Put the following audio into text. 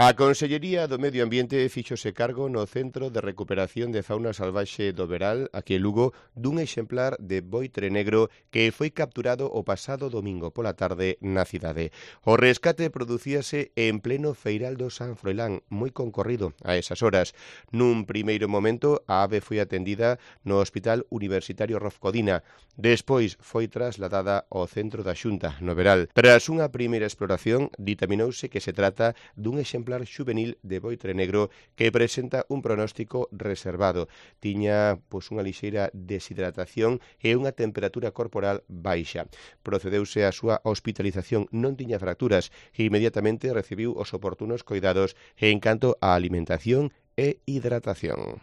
A Consellería do Medio Ambiente fíxose cargo no Centro de Recuperación de Fauna Salvaxe do Veral, aquí en Lugo, dun exemplar de boitre negro que foi capturado o pasado domingo pola tarde na cidade. O rescate producíase en pleno feiral do San Froilán, moi concorrido a esas horas. Nun primeiro momento, a ave foi atendida no Hospital Universitario Rofcodina. Despois foi trasladada ao centro da Xunta, no Veral. Tras unha primeira exploración, ditaminouse que se trata dun exemplar xuvenil de boitre negro que presenta un pronóstico reservado. Tiña unha lixeira deshidratación e unha temperatura corporal baixa. Procedeuse a súa hospitalización, non tiña fracturas e inmediatamente recibiu os oportunos coidados en canto á alimentación e hidratación.